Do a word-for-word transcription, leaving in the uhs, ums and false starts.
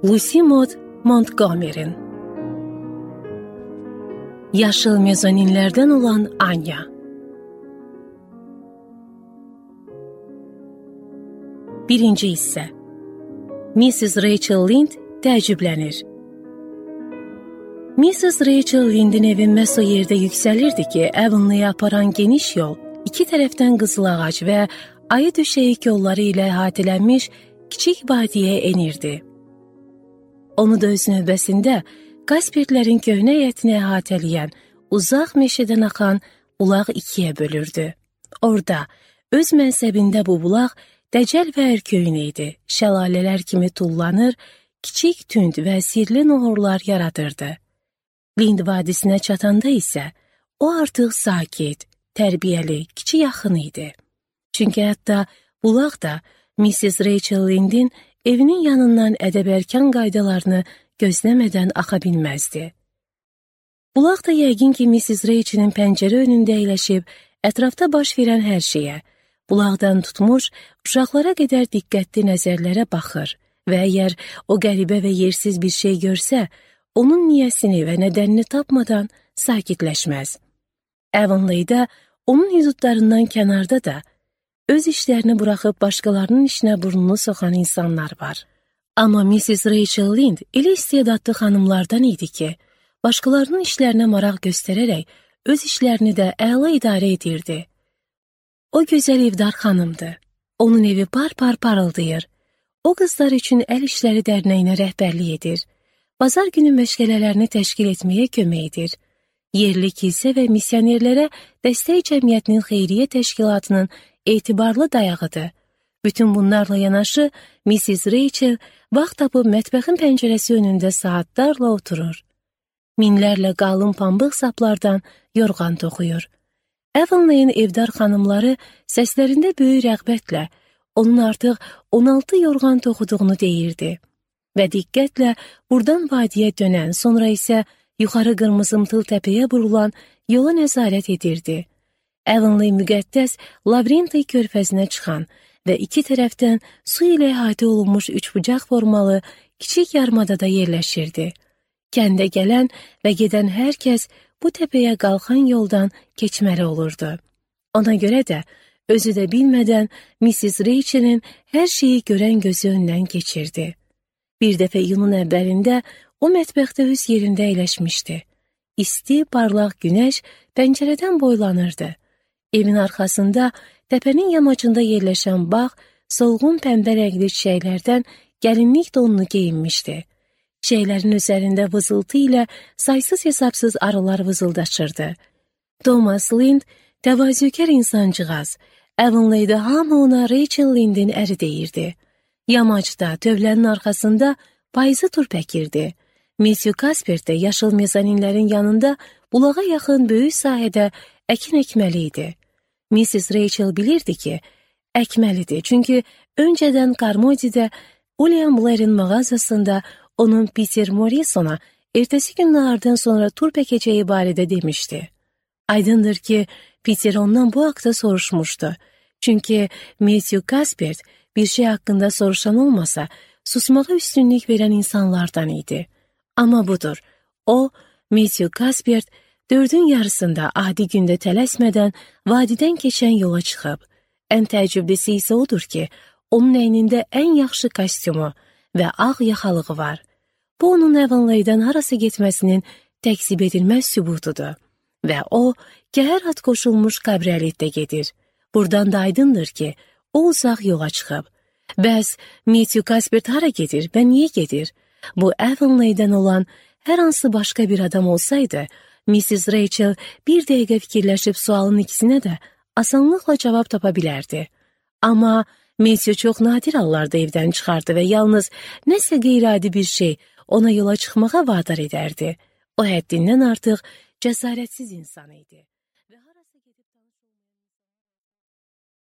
Lucy Maud Montgomery'nin Yaşıl Mezoninlerden olan Anya. Birinci hissə. missis Rachel Lynde təəccüblənir. missis Rachel Lynde'in evi məhz o yerdə yüksəlirdi ki, Avonlaya aparan geniş yol iki tərəfdən qızıl ağac və ayı döşəyik yolları ilə əhatələnmiş kiçik vadiyə enirdi. Onu da öz növbəsində Kaspertlərin köhnə həyətini əhatələyən uzaq meşədən axan bulaq ikiyə bölürdü. Orada öz mənsəbində bu bulaq dəcəl və ərköyün idi. Şəlalələr kimi tullanır, kiçik tünd və sirli nohurlar yaradırdı. Lind vadisinə çatanda isə o artıq sakit, tərbiyəli, kiçik yaxın idi. Çünki hətta bulaq da missis Rachel Lynde'in evinin yanından ədəb-ərkan qaydalarını gözləmədən axa bilməzdi. Bulaq da yəqin ki, missis Rachel'in pəncərə önündə əyləşib, ətrafda baş verən hər şeyə, bulaqdan tutmuş, uşaqlara qədər diqqətli nəzərlərə baxır və əgər o qəribə və yersiz bir şey görsə, onun niyəsini və nədənini tapmadan sakitləşməz. Avonlayda onun hüdudlarından kənarda da öz işlərini buraxıb başqalarının işinə burnunu soxan insanlar var. Amma missis Rachel Lynde elə istedadlı xanımlardan idi ki, başqalarının işlərinə maraq göstərərək öz işlərini də əla idarə edirdi. O gözəl evdar xanımdı. Onun evi par-par parıldayır. O qızlar üçün əl işləri dərnəyinə rəhbərlik edir. Bazar günü məşğələlərini təşkil etməyə kömək edir. Yerli kilsə və missionerlərə dəstək cəmiyyətinin xeyriyyə təşkilatının etibarlı dayağıdır. Bütün bunlarla yanaşı, missis Rachel vaxt tapıb mətbəxin pəncərəsi önündə saatlarla oturur. Minlərlə qalın pambıq saplardan yorğan toxuyur. Avonlayın evdar xanımları səslərində böyük rəğbətlə onun artıq on altı yorğan toxuduğunu deyirdi və diqqətlə buradan vadiyə dönən, sonra isə yuxarı qırmızımtıl təpəyə vurulan yola nəzarət edirdi. Avonlay müqəddəs Lavrenti körfəzinə çıxan və iki tərəfdən su ilə əhatə olunmuş üçbucaq formalı kiçik yarımadada yerləşirdi. Kəndə gələn və gedən hər kəs bu təpəyə qalxan yoldan keçməli olurdu. Ona görə də özü də bilmədən missis Rachel'in hər şeyi görən gözü öndən keçirdi. Bir dəfə iyunun əvvəlində o mətbəxdə öz yerində əyləşmişdi. İsti, parlaq günəş pəncərədən boylanırdı. Evin arxasında təpənin yamacında yerləşən bağ solğun pəmbə rəngli çiçəklərdən gəlinlik donunu geyinmişdi. Çiçəklərin üzərində vızıltı ilə saysız hesabsız arılar vızıldaşırdı. Thomas Lynde təvazökar insancığaz. Avonlayda hamı ona Rachel Lynde'in əri deyirdi. Yamacda, tövlənin arxasında payızı turp əkirdi. Monsieur Kaspert də yaşıl mezaninlərin yanında bulağa yaxın böyük sahədə əkin əkməli idi. missis Rachel bilirdi ki, əkməlidir, çünki öncədən Carmody'də William Blair'in mağazasında onun Peter Morrison'a ertəsi gün nahardan sonra turp əkəcəyi barədə demişdi. Aydındır ki, Peter ondan bu haqda soruşmuşdu. Çünki Monsieur Kaspert bir şey haqqında soruşan olmasa, susmağa üstünlük verən insanlardan idi. Amma budur, o, Monsieur Kaspert, dördün yarısında adi gündə tələsmədən vadidən keçən yola çıxıb. Ən təəccüblisi isə odur ki, onun əynində ən yaxşı kostyumu və ağ yaxalığı var. Bu, onun Avonlaydan harası getməsinin təksib edilməz sübutudur. Və o, kəhər at qoşulmuş kabrioletdə gedir. Buradan da aydındır ki, o uzaq yola çıxıb. Bəs, Matthew Kaspert hara gedir və niyə gedir? Bu, Avonlaydan olan hər hansı başqa bir adam olsaydı, missis Rachel bir dəqiqə fikirləşib sualın ikisinə də asanlıqla cavab tapa bilərdi. Amma Matthew çox nadir hallarda evdən çıxardı və yalnız nəsə qeyri-adi bir şey ona yola çıxmağa vadar edərdi. O həddindən artıq cəsarətsiz insan idi.